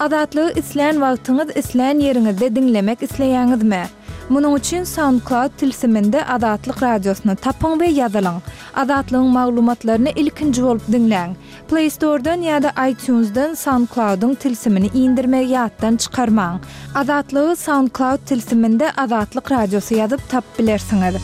Azatlygy islän wagtyňyz, islän ýeriňizde diňlemek isleýäňizmi? Munuň üçin SoundCloud tilsiminde Azatlyk Radiosyny tapyň we ýazylyň. Azatlygyň maglumatlaryny ilkinji bolup diňläň. Play Store-dan ýa-da iTunes-dan SoundCloud-yň tilsimini indirmegi ýatdan çykarmaň. Azatlygy SoundCloud tilsiminde Azatlyk Radiosy ýazyp tapyp bilersiňiz.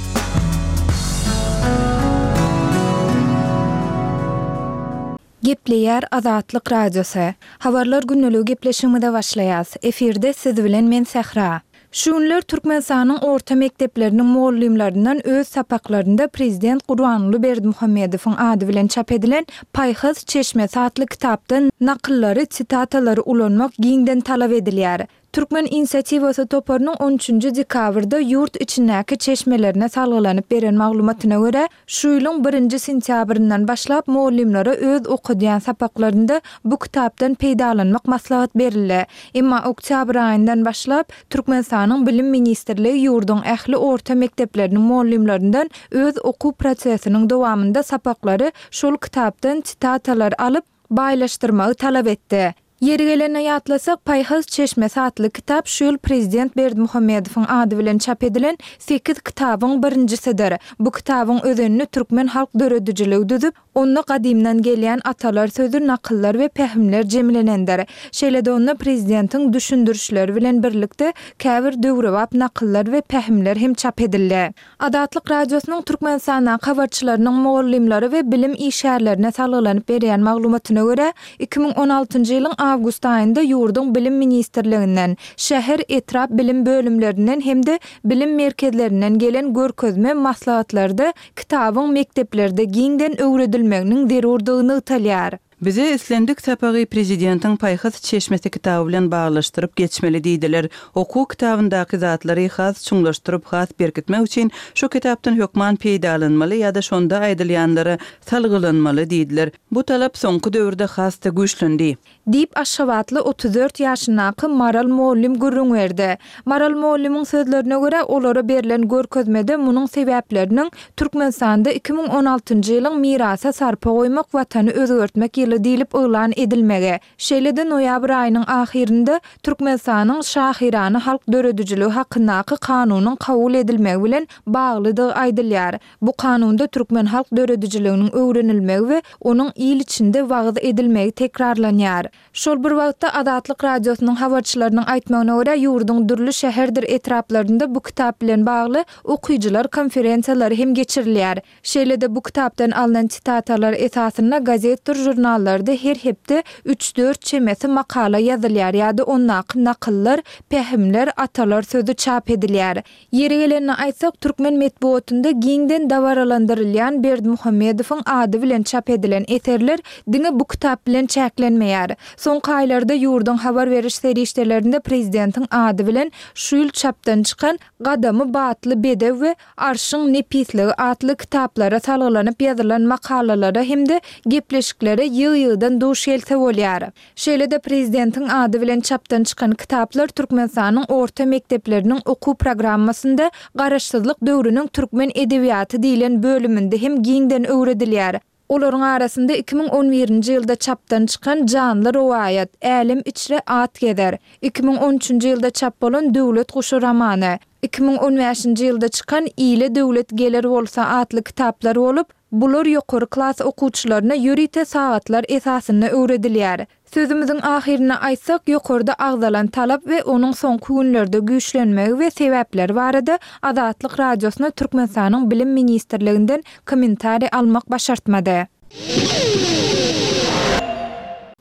Gepleýär Azatlyk Radiosy. Habarlar gündeligi gepleşigimize başlaýas. Efirde siz bilen men Sähra. Şu günler Türkmenistanyň orta mekdepleriniň mugallymlaryndan öz sapaklarynda prezident Gurbanguly Berdimuhamedowyň ady bilen çap edilen Paýhas çeşmesi atly kitapdan nakyllary, sitatalary ulanmak giňden talap edilýär. Türkmen inisiatiwasy toparynyň on üçünji dekabrda ýurt içindäki çeşmelerine salgylanyp beren maglumatyna görä, şu ýylyň birinji sentýabryndan başlap mugallymlara öz okadýan sapaklarynda bu kitapdan peýdalanmak maslahat berildi. Emma oktýabr aýyndan başlap, Türkmenistanyň Bilim ministrligi ýurduň ähli orta mekdepleriniň mugallymlaryndan öz okuw prosesiniň dowamynda sapaklary şol kitapdan sitatalar alyp, baýlaşdyrmagy talap etdi. Ýeri gelende ýatlasak, Paýhas çeşmesi atly kitap şu ýyl prezident Berdimuhamedowyň ady bilen çap edilen sekiz kitabyň birinjisidir. Bu kitabyň özenini türkmen halk döredijiligi düzüp, onda gadymdan gelýän atalar sözi, nakyllar we pähimler jemlenendir. Şeýle-de onda prezidentiň düşündirişleri bilen birlikde käbir döwrebap nakyllar we pähimler hem çap edildi. Azatlyk Radiosynyň Türkmenistandaky habarçylarynyň mugallymlara we bilim işgärlerine salgylanyp berýän maglumatyna görä, 2016-njy ýylyň awgust aýynda ýurduň Bilim ministrliginden, şäher, etrap bilim bölümlerinden hem-de bilim merkezlerinden gelen görkezme maslahatlarda kitabyň mekdeplerde giňden öwredilmeginiň zerurdygy nygtalýar. Bize islendik sapagy Prezidentiň Paýhas çeşmesi kitaby bilen baglaşdyryp geçmeli diýdiler. Okuw kitabyndaky zatlary has çuňlaşdyryp, has berkitmek üçin şu kitapdan hökman peýdalanmaly ýa-da şonda aýdylýanlara salgylanmaly diýdiler. Bu talap soňky döwürde has-da güýçlendi. Diýip, aşgabatly 34 ýaşyndaky Maral mugallym gürrüň berdi. Maral mugallymyň sözlerine görä, olara berlen görkezmede munuň sebäpleriniň Türkmenistanda 2016-njy ýylyň Mirasa sarpa goýmak, Watany özgertmek ýyly diýlip yglan edilmegi, şeýle-de noýabr aýynyň ahyrynda Türkmenistanyň Şahyrana halk döredijiligi hakyndaky Kanunyň kabul edilmegi bilen baglydygy aýdylýar. Bu Kanunda türkmen halk döredijiliginiň öwrenilmegi we onuň il içinde wagyz edilmegi tekrarlanýar. Şol bir wagtda, Azatlyk Radiosynyň habarçylarynyň aýtmagyna görä, ýurduň dürli şäherdir etraplarynda bu kitap bilen bagly okyjylar konferensiýalary hem geçirilýär. Şeýle-de bu kitapdan alnan sitatalar esasynda gazetdir žurnallarda her hepde üç-dört çemesi makala ýazylýar ýa-da ondaky nakyllar, pähimler, atalar sözi çap edilýär. Ýeri gelende aýtsak, türkmen metbugatynda giňden dabaralandyrylýan Berdimuhamedowyň ady bilen çap edilen eserler diňe bu kitap bilen çäklenmeýär. Soňky aýlarda ýurduň habar beriş serişdelerinde prezidentiň ady bilen şu ýyl çapdan çykan Gadamy batly bedew we Arşyň nepisligi atly kitaplara salgylanyp ýazylan makalalara hem-de gepleşiklere ýygy-ýygydan duş gelse bolýar. Şeýle-de prezidentiň ady bilen çapdan çykan kitaplar Türkmenistanyň orta mekdepleriniň okuw programmasynda Garaşsyzlyk döwrüniň türkmen edebiýaty diýlen bölüminde hem giňden öwredilýär. Olaryň arasynda 2011-nji ýylda çapdan çykan Janly rowaýat, Älem içre at gezer, 2013-nji ýylda çap bolan Döwlet guşy romany, 2015-nji ýylda çykan Ile döwlet geler bolsa atly kitaplar bolup, Bular ýokary klas okuwçylaryna ýörite sagatlar esasynda öwredilýär. Sözümiziň ahyrynda aýtsak, ýokarda agzalan talap we onuň soňky günlerde güýçlenmegi we sebäpleri barada Azatlyk Radiosyna Türkmenistanyň Bilim ministrliginden kommentariý almak başartmady.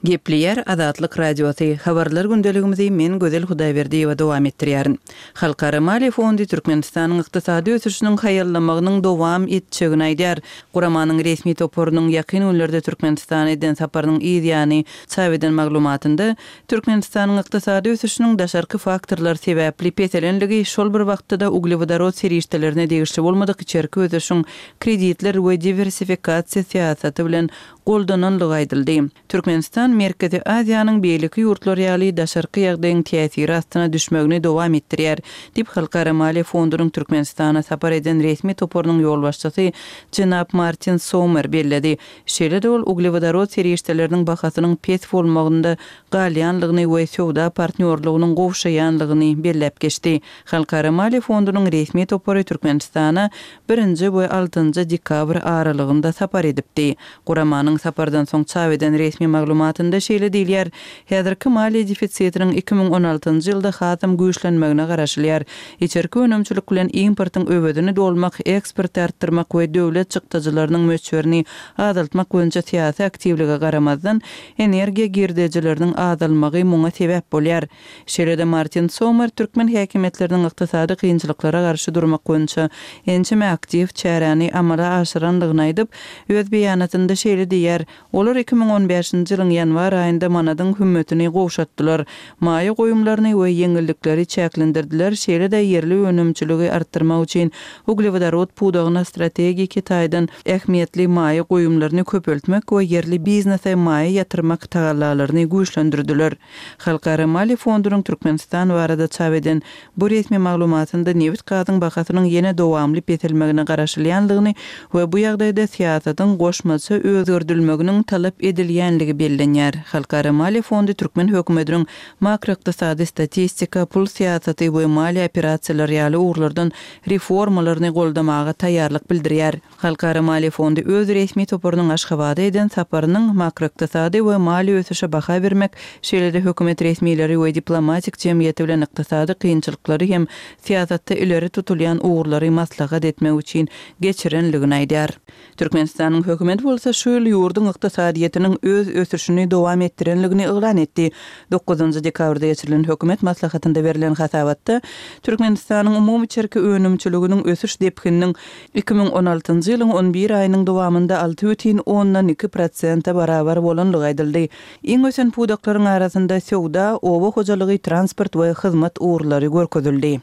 Gepleýär Azatlyk Radiosy, Habarlar gündeligimizi men Gözel Hudaýberdiýewa dowam etdirýärin. Halkara maliýe fondy Türkmenistanyň ykdysady ösüşiniň haýallamagynyň dowam etjegini aýdýar. Guramanyň resmi toparynyň ýakyn günlerde Türkmenistana eden saparynyň yz ýany çap eden maglumatynda, Türkmenistanyň ykdysady ösüşiniň daşarky faktorlar sebäpli peselenligi, şol bir wagtda-da uglewodorod serişdelerine degişli bolmadyk içerki ösüşiň kreditler we diwersifikasiýa syýasaty bilen goldananlygy aýdyldy. Türkmenistan. Türkmenistan Merkezi Aziýanyň beýleki ýurtlary ýaly daşarky ýagdaýyň täsiri astyna düşmegini dowam etdirýär, diýip, Halkara maliýe fondunyň Türkmenistana sapar eden resmi toparynyň ýolbaşçysy jenap Martin Sommer belledi. Şeýle-de ol uglewodorod serişdeleriniň bahasynyň pes bolmagynda galýanlygyny we söwda partnýorlygynyň gowşaýanlygyny belläp geçdi. Halkara maliýe fondunyň resmi topary Türkmenistana birinji we altynjy dekabr aralygynda sapar edipdi. Guramanyň sapardan soň çap eden resmi maglumatynda şeýle diýilýär, Häzirki maliýe defisitiniň 2016 ýylda hasam güýçlenmegine garaşylýar. Içerki önümçilik bilen importyň öwezini dolmak, eksporty artdyrmak we döwlet çykdajylarynyň möçberini azaltmak boýunça syýasy aktiwlige garamazdan, energiýa girdejileriniň azalmagy muňa sebäp bolýar. Şeýle-de Martin Sommer türkmen häkimiýetleriniň ykdysady kynçylyklara garşy durmak boýunça ençeme aktiw çäräni amala aşyrandygyny aýdyp, öz beýanatynda şeýle diýýär, Olar 2015-nji ýylyň ýanwar aýynda manadyň hümmetini gowşatdylar, maýa goýumlaryny we ýeňillikleri çäklendirdiler, şeýle-de ýerli önümçiligi artdyrmak üçin uglewodorod pudagyna strategiki taýdan ähmiýetli maýa goýumlaryny köpeltmek we ýerli biznese maýa ýatyrmak tagallalaryny güýçlendirdiler. Halkara maliýe fondunyň Türkmenistan barada çap eden bu resmi maglumatynda nebit-gazyň bahasynyň ýene dowamly peselmegine garaşylýandygyny we bu ýagdaýda syýasatyň goşmaça özgerdilmeginiň talap edilýänligi bellenýär. Halkara maliýe fondy türkmen hökümetiniň makroykdysady statistika, pul syýasaty we maliýe operasiýalary ýaly ugurlardan reformalaryny goldamaga taýýarlyk bildirýär. Halkara maliýe fondy öz resmi toparynyň Aşgabada eden saparynyň makroykdysady we maliýe ösüşe baha bermek, şeýle-de hökümet resmileri we diplomatik jemgyýeti bilen ykdysady kynçylyklary hem syýasatda ileri tutulýan ugurlary maslahat etmek üçin geçirenligini aýdýar. Türkmenistanyň hökümeti bolsa şu ýyl ýurduň ykdysadyýetiniň öz ösüşini dowam etdirenligini yglan etdi. Dokuzynjy dekabrda geçirilen hökümet maslahatynda berlen hasabatda Türkmenistanyň umumy içerki önümçiliginiň ösüş depgininiň 2016-njy ýylyň on bir aýynyň dowamynda 6,2 prosente barabar bolandygy aýdyldy. Iň ösen pudaklaryň arasynda söwda, oba hojalygy, transport we hyzmat ugurlary görkezildi.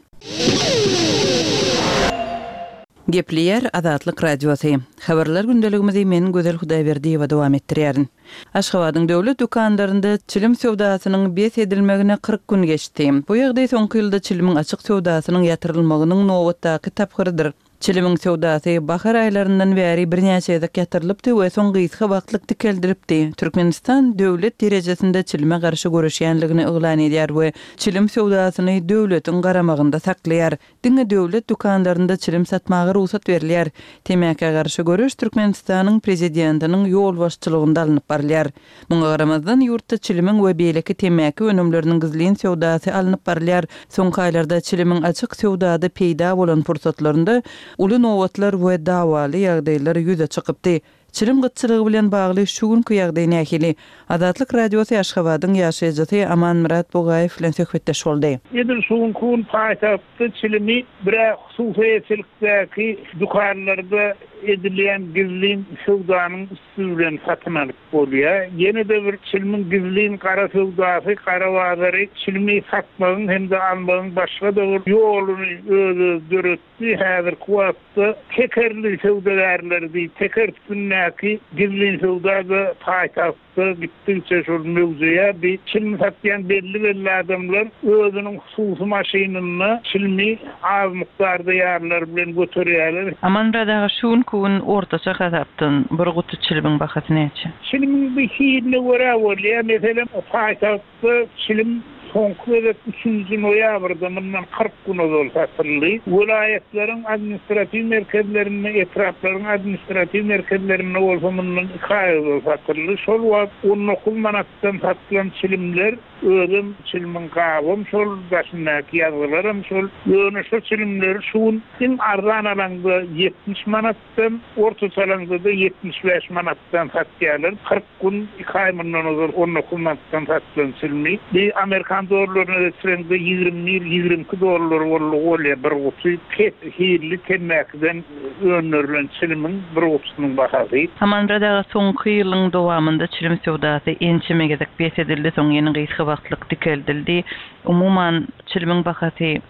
Gepleýär Azatlyk Radiosy. Habarlar gündeligimizi men Gözel Hudaýberdiýewa dowam etdirýärin. Aşgabadyň döwlet dükanlarynda çilim söwdasynyň bes edilmegine 40 gün geçdi. Bu ýagdaý soňky ýylda çilimiň açyk söwdasynyň ýatyrylmagynyň nobatdaky tapgyrydyr. Çilimiň söwdasy bahar aýlaryndan bäri birnäçe gezek ýatyrylypdy we soň gysga wagtlyk dikeldilipdi. Türkmenistan döwlet derejesinde çilime garşy göreşýänligini yglan edýär we çilim söwdasyny döwletiň garamagynda saklaýar. Diňe döwlet dükanlarynda çilim satmaga rugsat berilýär. Temäkä garşy göreş Türkmenistanyň Prezidentiniň ýolbaşçylygynda alnyp barylýar. Muňa garamazdan, ýurtda çilimiň we beýleki temmäki önümleriniň gizlin söwdasy alnyp barylýar. Soňky aýlarda çilimiň açyk söwdada peýda bolan pursatlarynda uly nobatlar we dawaly ýagdaýlar ýüze çykypdy. Çilim gytçylygy bilen bagly şu günki ýagdaý nähili? Azatlyk Radiosy Aşgabadyň ýaşaýjysy Amanmyrat Bugaýew bilen söhbetdeş boldy. Edil şu günki gün paýtagtda çilimi bir-ä hususy eýeçilikdäki dükanlarda edilýän gizlin söwdanyň üsti bilen satyn alyp bolýar. Ýene-de bir çilimiň gizlin gara söwdasy, gara bazary çilimi satmagyň hem-de almagyň başga-da bir ýoluny öz-özi döretdi. Häzirki wagtda tekerli söwdagärleri diýip, teker üstündäki gizlin söwda-da paýtagtda gitdigiçe şol möwjeýär. Bi çilim satýan belli-belli adamlar özüniň hususy maşynynda çilimi az mukdarda ýarlary bilen göterýärler. Amanmyrat aga şu günki gün ortaça hasapdan bir guty çilimiň bahasy näçe? Çilimiň bir hiline görä bolýar. Meselem, paýtagt Da çilim soňky gezek üçünji noýabrda, mundan 40 gün ozal satyldy. Welaýatlaryň administratiw merkezlerinde, etraplaryň administratiw merkezlerinde bolsa mundan iki aý ozal satyldy. Şol wagt 19 manatdan satylan çilimler, özem çilimiň gabam şol, daşyndaky ýazgylaram şol. Ýöne şo çilimleri şu gün iň arzan alaňda 70 manatdan, ortaça alaňda-da 75 manatdan satýarlar. 40 Gün iki aý mundan ozal 19 manatdan satylan çilimi bir amerikan dollaryna geçireňde 21, 22 dollar boldugy bolýar bir guty pes hilli temmäkiden öndürilen çilimiň bir gutusynyň bahasy. Amanmyrat aga soňky ýylyň dowamynda çilim söwdasy ençeme gezek bes edildi, soň ýene gysga wagtlyk dikeldildi. Umuman çilimiň bahasy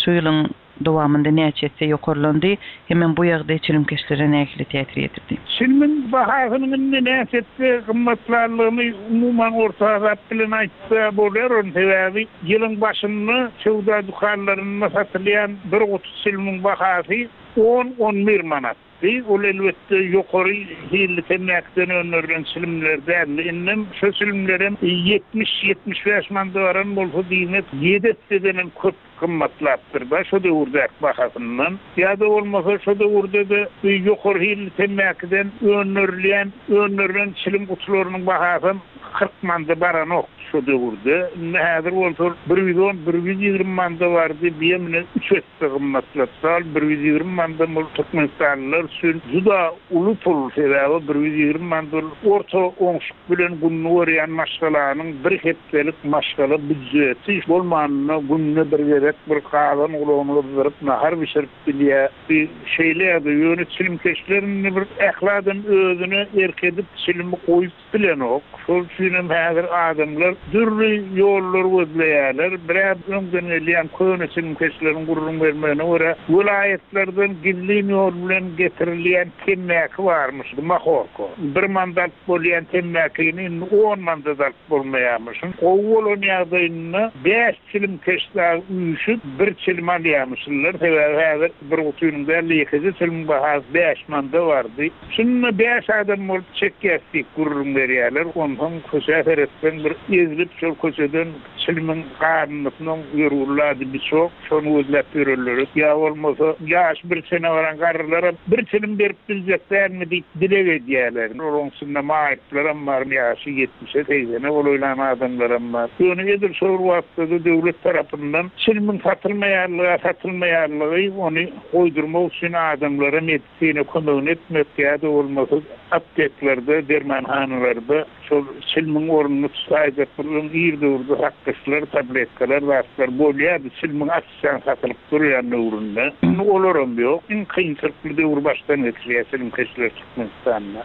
şu ýylyň. dowamynda näçe esse ýokarlandy hemem bu ýagdaý çilimkeşlere nähili täsir ýetirdi? Çilimiň bahasynyň indi näçe esse gymmatlandygyny umuman orta hasap bilen aýtsa bolýar, onuň sebäbi ýylyň başynda söwda dükanlarynda satylýan bir guty çilimiň bahasy on, on bir manat. Bi, ol elbetde ýokary hilli temmäkiden öndürilen çilimler däldi. Indem şo çilimlerem 70, 75 manda baran bolsa, diýmek, ýedi essedenem köp gymmatlapdyr-da şo döwürdäki bahasyndan. Ýa-da bolmasa şo döwürde-de bi ýokary hilli temmäkiden öndürilýän, öndürilen çilim gutularynyň bahasam 40 manda baranokdy şo döwürde. Indi häzir bolsa 110, 120 manda bardy, biýem ine üç esse. Gymmatlatdal 120 mandan bul türkmenistanlylar üçin juda uly pul, sebäbi 120 man bul orta oňşuk bilen gününi görýän maşgalanyň bir hepdelik maşgala býudjeti, bolmanynda günde bir gezek bir gazan gulagyny gyzdyryp nahar bişirip bilýär. Bi şeýle ýagdaý, ýöne çilimkeşler indi bir ähli adam özüne erk edip çilimi goýup Bilenok. Şol üçinem häzir adamlar dürli ýollar gözleýärler. Biraz öňden gelýän köne çilimkeşleriň gürrüň bermegine görä, welaýatlardan gizlin ýol bilen getirilýän temmäki barmyş, mahorka. Bir manda alyp bolýan temmäkini indi on manda-da alyp bolmaýarmyşyn. Gowy bolan ýagdaýynda bäş çilimkeş dagy üýşüp, bir çilim alýarmyşynlar. Sebäbi häzir bir gutynyň däl-de, ýekeje çilimiň bahasy bäş manda bardy. Şunda bäş adam bolup çekýäs diýip gürrüň berýärler. Onsoň köçä seretseň bir ezilip şol köçeden çilimiň garyndysynyň ýörgünli ady biçok, şony gözläp ýörenleri, ýa bolmasa ýaşy bir çene baran garrylaram bir çilim berip biljek dälmi diýip dileg edýärler. Olaryň içinde maýyplaram bar, ýaşy ýetmişe, segsene golaýlan adamlaram bar. Ýöne edil şol bir wagtda-da döwlet tarapyndan çilimiň satylmaýanlygy, satylmaýanlygy ony goýdurmak üçin adamlara Sine kömegini etmek ýa-da bolmasa apteklerde, dermanhanalarda şol çilimiň ornuny tutaýjak bir öň ir döwürde sakgyçlar, tabletkalar, zatlar bolýardy, çilimiň açyşan satylyp durýan döwründe. Indi olaram ýok. Iň kynçylykly döwri başdan geçirýär çilimkeşler Türkmenistanda.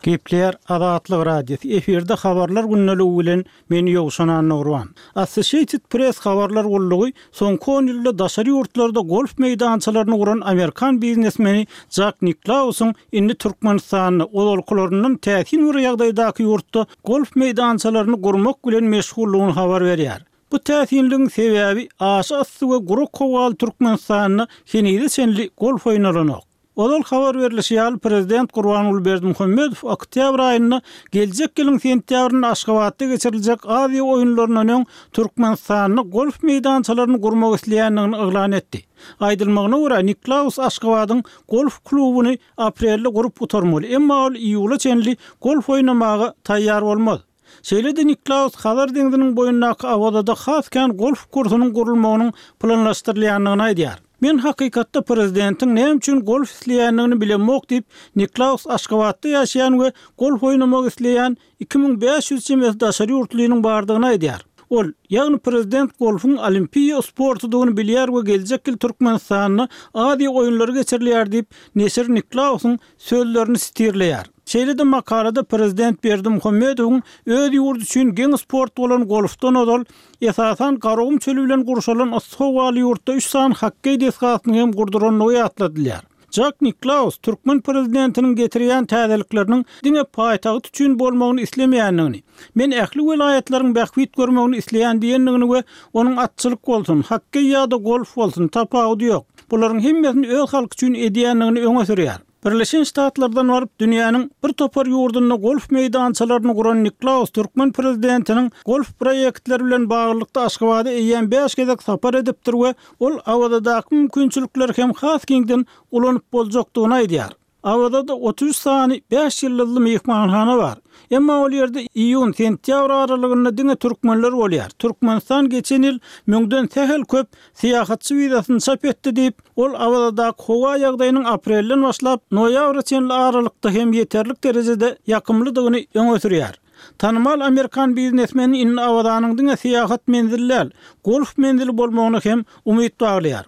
Gepleýär Azatlyk Radiosy, efirde Habarlar gündeligi bilen men Ýowşan Annagurban. Associated Press habarlar gullugy soňky on ýylda daşary ýurtlarda golf meýdançalaryny guran amerikan biznesmeni Jak Niklausyň indi Türkmenistanda, ozalkylaryndan täsin bir ýagdaýdaky ýurtda golf meýdançalaryny gurmak bilen meşguldygyny habar berýär. Bu täsinligiň sebäbi aşa yssy we gurak howaly Türkmenistanda henize çenli golf oýnalanok. Ozal habar berlişi ýaly, prezident Gurbanguly Berdimuhamedow oktýabr aýynda geljek ýylyň sentýabrynda Aşgabatda geçiriljek Aziýa oýunlaryndan öň Türkmenistanda golf meýdançalaryny gurmak isleýändigini yglan etdi. Aýdylmagyna görä, Niklaus Aşgabadyň golf klubuny aprelde gurup gutarmaly, emma ol iýula çenli golf oýnamaga taýýar bolmaz. Şeýle-de Niklaus Hazar deňziniň boýundaky Awazada has kän golf kursunyň gurulmagynyň planlaşdyrylýandygyny aýdýar. Men hakykatda prezidentiň näme üçin golf isleýändigini bilemok diýip, Niklaus Aşgabatda ýaşaýan we golf oýnamak isleýän 2500 çemesi daşary ýurtlynyň bardygyny aýdýar. Ol, ýagny prezident golfuň olimpiýa sportudygyny bilýär we geljek ýyl Türkmenistanda Aziýa oýunlary geçirilýär diýip, neşir Niklausyň sözlerini sitirleýär. Şeýle-de makalada prezident Berdimuhamedowyň öz ýurdy üçin geň sport bolan golfdan ozal, esasan Garagum çöli bilen gurşalan yssy howaly ýurtda üç sany hokkeý desgasyny hem gurdurandygy ýatladylýar. Jak Niklaus türkmen prezidentiniň getirýän täzelikleriniň diňe paýtagt üçin bolmagyny islemeýändigini, men ähli welaýatlaryň bähbit görmegini isleýän diýendigini we onuň atçylyk bolsun, hokkeý ýa-da golf bolsun, tapawudy ýok, bularyň hemmesini öz halky üçin edýändigini öňe sürýär. Birleşen Ştatlardan baryp, dünýäniň bir topar ýurdunda golf meýdançalaryny guran Niklaus türkmen prezidentiniň golf proýektleri bilen baglylykda Aşgabada eýýäm bäş gezek sapar edipdir we ol Awazadaky mümkinçilikleri hem has giňden ulanyp boljakdygyny aýdýar. Awazada 33 sany bäş ýyldyzly myhmanhana bar. Emma ol ýerde iýun, sentýabr aralygynda diňe türkmenler bolýar. Türkmenistan geçen ýyl müňden sähel köp syýahatçy wizasyny çap etdi diýip, ol Awazadaky howa ýagdaýynyň aprelden başlap, noýabra çenli aralykda hem ýeterlik derejede ýakymlydygyny öňe sürýär. Tanymal amerikan biznesmeni indi Awazanyň diňe syýahat menzili däl, golf menzili bolmagyna hem umyt baglaýar.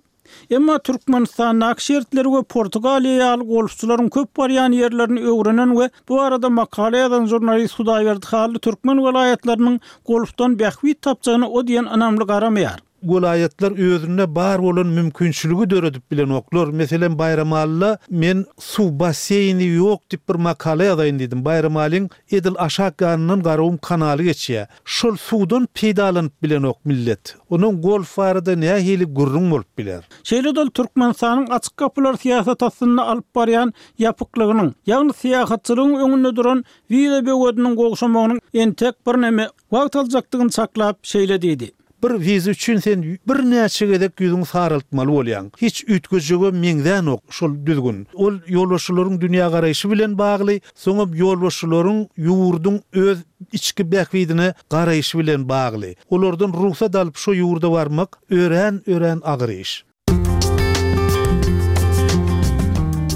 Emma Türkmenistandaky şertleri we Portugaliýa ýaly golfçylaryň köp barýan ýerlerini öwrenen we bu barada makala ýazan žurnalist Hudaýberdi Hally türkmen welaýatlarynyň golfdan bähbit tapjagyna o diýen ynamly garamaýar. Welaýatlar özünde bar bolan mümkinçiligi döredip bilenoklar. Meselem, Baýramalyda men suw basseýni ýok diýip bir makala ýazaýyn diýdim. Baýramalyň edil aşak ýanyndan Garagum kanaly geçýär. Şol suwdan peýdalanyp bilenok millet. Ondan golf barada nähili gürrüň bolup biler? Şeýle-de ol Türkmenistanyň açyk gapylar syýasaty astynda alyp barýan ýapyklygynyň, ýagny syýahatçylygyň öňünde duran wiza böwediniň gowşamagynyň entek birneme wagt aljakdygyny çaklap, şeýle diýdi. Bir wiza üçin sen birnäçe gezek ýüzüňi saraltmaly bolýaň. Hiç üýtgejege meňzänok şol düzgün. Ol ýolbaşçylaryň dünýägaraýşy bilen bagly, soňam ýolbaşçylaryň ýurduň öz içki bähbidine garaýşy bilen bagly. Olardan rugsat alyp şo ýurda barmak örän örän agyr iş.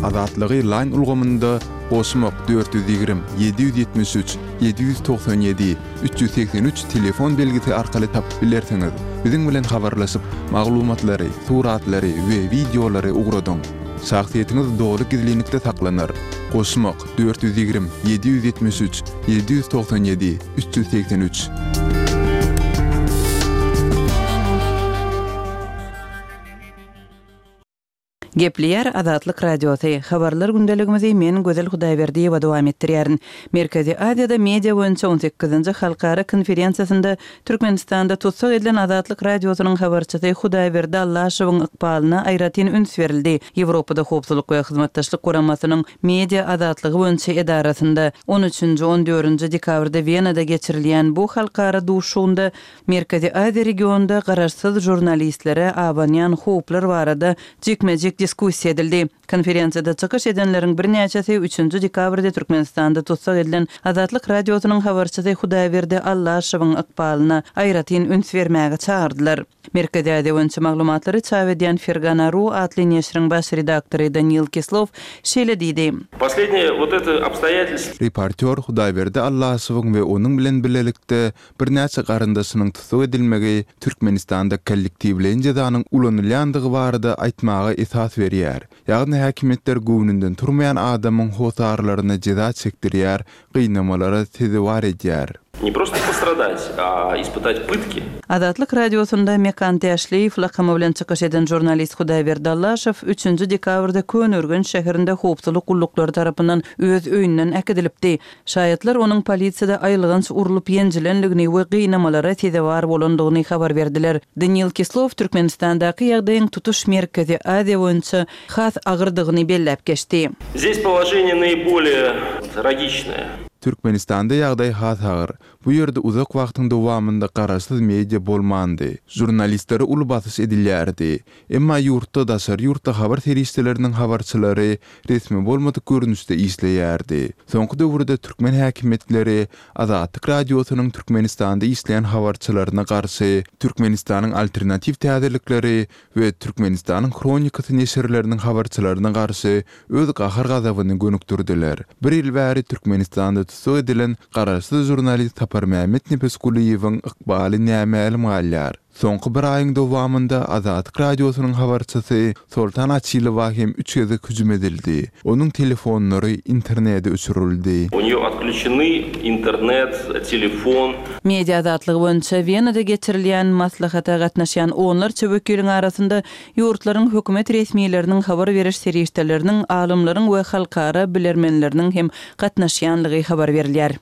Azatlygy Line ulgamynda goşmak 420 773 797 383 telefon belgisi arkaly tapyp bilersiňiz. Biziň bilen habarlaşyp, maglumatlary, suratlary we wideolary ugradyň. Şahsyýetiňiz doly gizlinlikde saklanar. Goşmak 420 773 797 383. Gepleýär Azatlyk Radiosy, Habarlar gündeligimizi men Gözel Hudaýberdiýewa dowam etdirýärin. Merkezi Aziýada media boýunça on sekizinji halkara konferensiýasynda Türkmenistanda tussag edilen Azatlyk Radiosynyň habarçysy Hudaýberdi Allaşowyň ykbalyna aýratyn üns berildi. Ýewropada Howpsuzlyk we Hyzmatdaşlyk Guramasynyň Media azatlygy boýunça edarasynda on üçünji, on dördünji dekabrda Wenada geçirilýän bu halkara duşuşygynda Merkezi Aziýa regionynda garaşsyz žurnalistlere abanýan howplar barada jikme-jik diskussiýa edildi. Konferensiýada çykyş edenleriň birnäçesi üçünji dekabrda Türkmenistanda tussag edilen Azatlyk Radiosynyň habarçysy Hudaýberdi Allaşowyň ykbalyna aýratyn üns bermäge çagyrdylar. Merkezi Aziýa boýunça maglumatlary çap edýän Fergana. Ru atly neşiriň baş redaktory Daniil Kislow şeýle diýdi. Poslednýe wot eto obstoýatelstwo. Reportýor Hudaýberdi Allaşowyň we onuň bilen bilelikde birnäçe garyndaşynyň tussag edilmegi Türkmenistanda kollektiwleýin jezanyň ulanylýandygy barada aýtmaga esas berýär. Ýagny häkimiýetler göwnünden turmaýan adamyň hossarlaryna jeza çekdirýär, gynamalara sezewar edýär. Ne prosto postradat, a ispytat pytki. Azatlyk Radiosynda Mekan Täşliýew lakamy bilen çykyş eden žurnalist Hudaýberdi Allaşow üçünji dekabrda Köneürgenç şäherinde howpsuzlyk gulluklary tarapyndan öz öýünden äkidilipdi. Şaýatlar onuň polisiýada aýylganç urlup-ýenjilendigini we gynamalara sezewar bolandygyny habar berdiler. Daniil Kislow Türkmenistandaky ýagdaýyň tutuş Merkezi Aziýa boýunça has agyrdygyny belläp geçdi. Zdes položeniýe naýbolýe tragiçnoe. Türkmenistanda ýagdaý has agyr. Bu ýerde uzak wagtyň dowamynda garaşsyz media bolmandy. Žurnalistlere uly basyş edilýärdi. Emma ýurtda daşary ýurtly habar serişdeleriniň habarçylary resmi bolmadyk görnüşde işleýärdi. Soňky döwürde türkmen häkimiýetleri Azatlyk Radiosynyň Türkmenistanda işleýän habarçylaryna garşy Türkmenistanyň Alternatiw täzelikleri we Türkmenistanyň Hronikasy neşirleriniň habarçylaryna garşy öz gahar-gazabyny gönükdirdiler. Bir ýyl bäri Türkmenistanda tussag edilen garaşsyz žurnalist Saparmämmet Nepesgulyýewiň ykbaly nämälim galýar. Soňky bir aýyň dowamynda Azatlyk Radiosynyň habarçysy Soltan Açylowa hem üç gezek hüjüm edildi. Onuň telefonlary, interneti öçürildi. U neýo otklýuçeny internet, telefon. Media azatlygy boýunça Wenada geçirilýän maslahata gatnaşýan onlarça wekiliň arasynda ýurtlaryň hökümet resmileriniň, habar beriş serişdeleriniň, alymlaryň we halkara bilermenleriniň hem gatnaşýanlygy habar berilýär.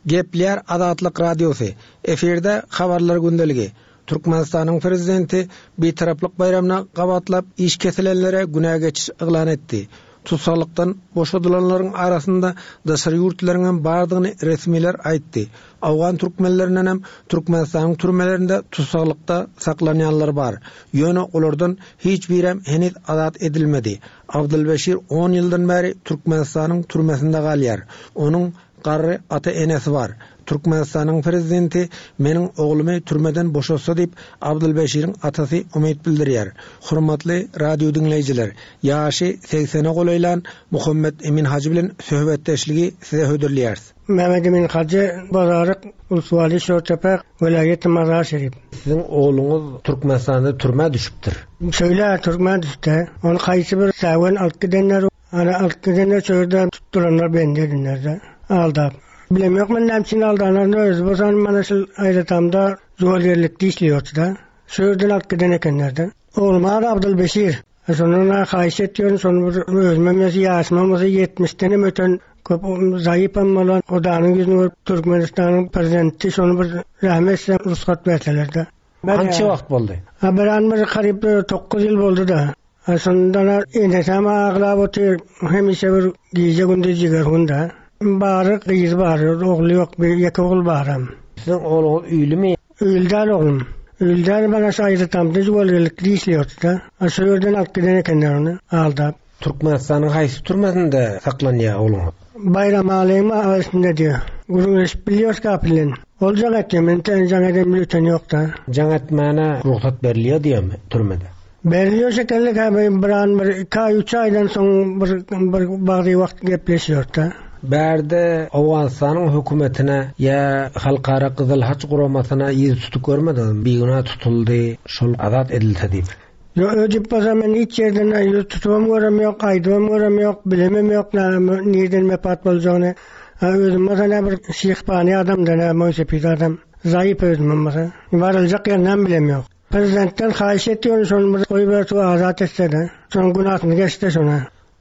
Gepleýär Azatlyk Radiosy, Efirde Habarlar gündeligi. Türkmenistanyň Prezidenti Bitaraplyk baýramyna gabatlap iş kesilenlere günä geçiş yglan etdi. Tussaglykdan boşadylanlaryň arasynda daşary ýurtlaryňam bardygyny resmiler aýtdy. Owgan türkmenlerindenem Türkmenistanyň türmelerinde tussaglykda saklanýanlar bar. Ýöne olardan hiç birem heniz azat edilmedi. Abdylbeşir on ýyldan bäri Türkmenistanyň türmesinde galýar. Onuň Garry ata-enesi bar. Türkmenistanyň prezidenti meniň oglumy türmeden boşatsa diýip, Abdylbeşiriň atasy umyt bildirýär. Hormatly radio diňleýjiler, ýaşy segsene golaýlan Muhammet Emin hajy bilen söhbetdeşligi size hödürleýäris. Mehmet Emin Hajy, Bazaryk, Ulsuwaly, Şortepe, welaýaty Mazar-Şerif. Siziň ogluňyz Türkmenistanda türmä düşüpdir. Şeýle, türmä düşdi. Ony haýsy bir säwen alyp gidenler, Ana alyp gidende şo ýerde tutduranlar bendi edinlerde aldap. Bilemok men näme üçin aldanlaryny özi bolsa mana şul aýratamda jüwelgerlikde işleýärdi-de. Şu ýerden alyp giden ekenler-de. Oglum ady Abdylbeşir. Şondan haýyş etýärin, şony bir özümem ýaşy ýaşymam bolsa ýetmişdenem öten köp zaýypam bolan Hudanyň ýüzüni görüp Türkmenistanyň prezidenti şony bir rähm etse rugsat berseler-de. Kança wagt boldy? A bir an bir garyp 9 ýyl boldy-da. A şondan enesem aglap otyr, hemişe bir gije-gündiz jigerhun-da. Bary gyzy bar, ogly ýok, bir ýeke ogul baram. Siziň ogluňyz öýlümi? Öýli däl oglum. Öýli däl bana şu aýdytamda jüwelgelikde işleýärdi-de. A şo ýerden alyp giden ekenler ony, aldap. Türkmenistanyň haýsy türmesinde saklanýar ogluňyz? Baýramalyň arasynda diýýär. Gürrüňleşip bilýäris gapy bilen. Ol jaň etýär, men jaň eden öten ýok-da. Jaň etmäne rugsat berilýär diýýärmi türmede? Berilýär şekilli käbir bir an bir iki aý üç aýdan soň bir bir bagdy wagt gepleşýärdi. Bärde Owganystanyň hökümetine ýa Halkara Gyzyl Haç guramasyna ýüz tutup görmediňizmi bigünä tutuldy şol azat edilse diýip. Ýok öýdüp bolsa men hiç ýerden ýüz tutubam görem ýok aýdybam görem ýok bilemem ýok näme nirden wepat boljagyny. Özüm bolsa nä bir şyhpany adamda nä moýsepit adam zaýyp özümem bolsa baryljak ýerinem bilem ýok. Prezidentden haýyş etýärin şony bir goýberse we azat etsede. Şonuň günasyny geçse şona.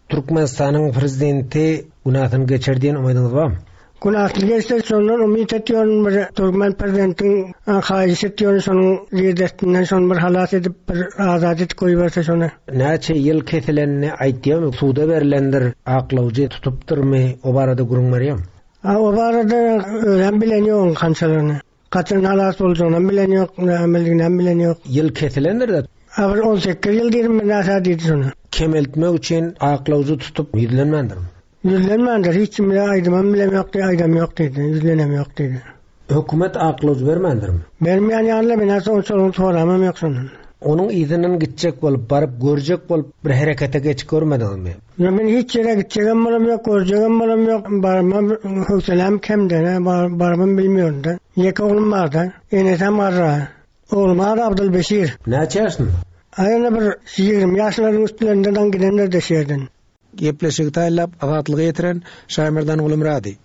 Türkmenistanyň prezidenti günasyny geçer diýen umydyňyz barmy? Günasyny geçse şondan umyt etýärin bir türkmen prezidentiň haýyş etýärin şonuň ýerdestinden şony bir halas edip bir azat edip goýberse şony. Näçe ýyl kesilenini aýtýarmy suda berlendir aklawjy tutupdyrmy o barada gürrüň berýärmi? A o barada özem bilen ýok kançalaryny. Haçan halas boljagynam bilen ýok, nämeliginem bilen ýok. Ýyl kesilendir-de. A bir on sekiz ýyl diýdim men näsä diýdi şony. Kemeltmek üçin aklawjy tutup ýüzlenmändirmi? Ýüzlenmändir, hiç kim bilen aýdymam bilem ýok diýdi, aýdam ýok diýdi, ýüzlenem ýok diýdi. Hökümet aklawjy bermändirmi? Bermeýän ýaly-la, men häzir onça soramam ýok şondan. Onuň yzyndan gitjek bolup, baryp görjek bolup bir herekete geçip görmediňizmi? Ýok, men hiç ýere gitjegem bolam ýok, görjegem bolam ýok, barmam höwseläm kem-de, barybam bilmeýärin-de. Ýeke oglum bar-da, enesem garra. Oglum ady Abdylbeşir. Näçe ýaşynda? Aý, indi bir 20 ýaşlaryň üstlerinde daň gidendir-de şu ýerden. Gepleşigi taýynlap, Azatlyga ýetiren, Şaýmerdan Gulumyrady.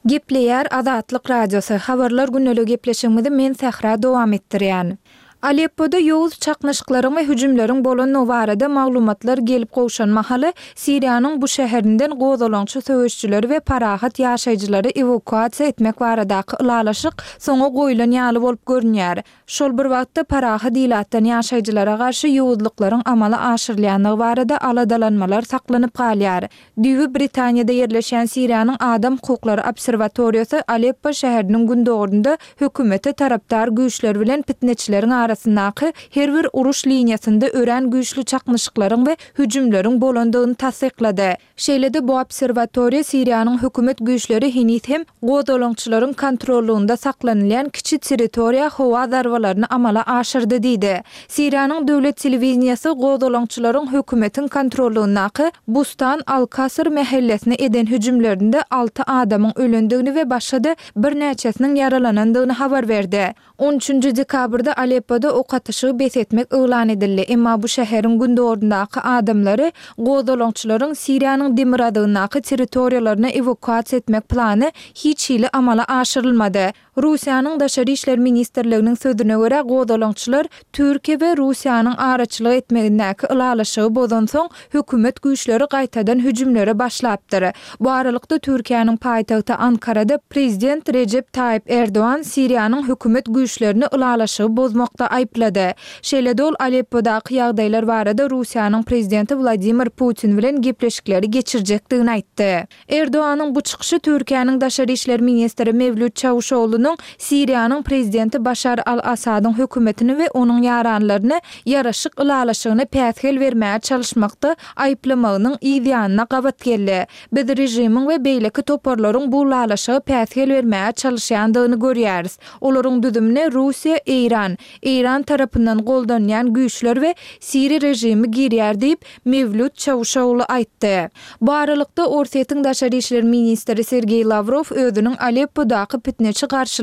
Gepleýär Azatlyk Radiosy, Habarlar gündeliği gepleşigimizi men Sähra dowam etdirýän. Aleppoda ýowuz çaknyşyklaryň we hüjümleriň bolandygy barada maglumatlar gelip gowşan mahaly, Siriýanyň bu şäherinden gozgalaňçy söweşijileri we parahat ýaşaýjylary ewakuasiýa etmek baradaky ylalaşyk soňa goýlan ýaly bolup görünýär. Şol bir wagtda, parahat ilatdan ýaşaýjylara garşy ýowuzlyklaryň amala aşyrylýandygy barada aladalanmalar saklanyp galýar. Düýbi Britaniýada ýerleşýän Siriýanyň Adam hukuklary obserwatoriýasy Aleppo şäheriniň gündogarynda hökümete tarapdar güýçler bilen pitneçileriň arasyndaky her bir uruş liniýasynda örän güýçli çaknyşyklaryň we hüjümleriň bolandygyny tassyklady. Şeýle-de bu obserwatoriýa Siriýanyň hökümet güýçleri heniz hem gozgalaňçylaryň kontrollygynda saklanylýan kiçi territoriýa howa zarbalaryny amala aşyrdy diýdi. Siriýanyň döwlet telewideniýesi gozgalaňçylaryň hökümetiň kontrollygyndaky Bustan al-Kasr mähellesine eden hüjümlerinde alty adamyň ölendigini we başga-da birnäçesiniň ýaralanandygyny habar berdi. On üçünji dekabrda Aleppoda ok atyşygy bes etmek yglan edildi, emma bu şäheriň gündogaryndaky adamlary gozgalaňçylaryň Siriýanyň demirgazygyndaky territoriýalaryna ewakuasiýa etmek plany hiç hili amala aşyrylmady. Russiýanyň Daşary işler ministrliginiň sözüne görä, gozgalaňçylar Türkiýe we Russiýanyň araçylyk etmegindäki ylalaşygy bozansoň, hökümet güýçleri gaýtadan hüjümlere başlapdyr. Bu aralykda, Türkiýäniň paýtagty Ankarada prezident Rejep Taýyp Erdogan Siriýanyň hökümet güýçlerini ylalaşygy bozmakda aýyplady. Şeýle-de ol Aleppodaky ýagdaýlar barada Russiýanyň prezidenti Wladimir Putin bilen gepleşikleri geçirjekdigini aýtdy. Erdoganyň bu çykyşy Türkiýäniň daşary işler ministri Mewlüt Çawuşoglunyň Siriýanyň prezidenti Başar al-Assadyň hökümetini we onuň ýaranlaryny ýaraşyk ylalaşygyna päsgel bermäge çalyşmakda aýyplamagynyň yz ýanyna gabat geldi. Biz režimiň we beýleki toparlaryň bu ylalaşyga päsgel bermäge çalyşýandygyny görýäris. Olaryň düzümine Russiýa, Eýran, Eýran tarapyndan goldanýan güýçler we siriý režimi girýär diýip, Mewlüt Çawuşoglu aýtdy. Bu aralykda, Orsýetiň daşary işler ministri Sergeý Lawrow özüniň Aleppodaky pitneçi garşylygynyň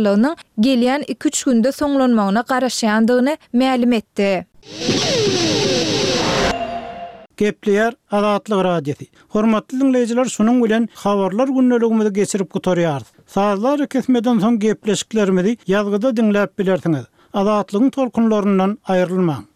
gelýän iki-üç günde soňlanmagyna garaşýandygyny mälim etdi. Gepleýär Azatlyk Radiosy. Hormatly diňleýjiler şunuň bilen habarlar gündeligimizi geçirip gutarýarys. Sazly arakesmeden soň gepleşiklerimizi ýazgyda diňläp bilersiňiz. Azatlygyň tolkunlaryndan aýrylmaň.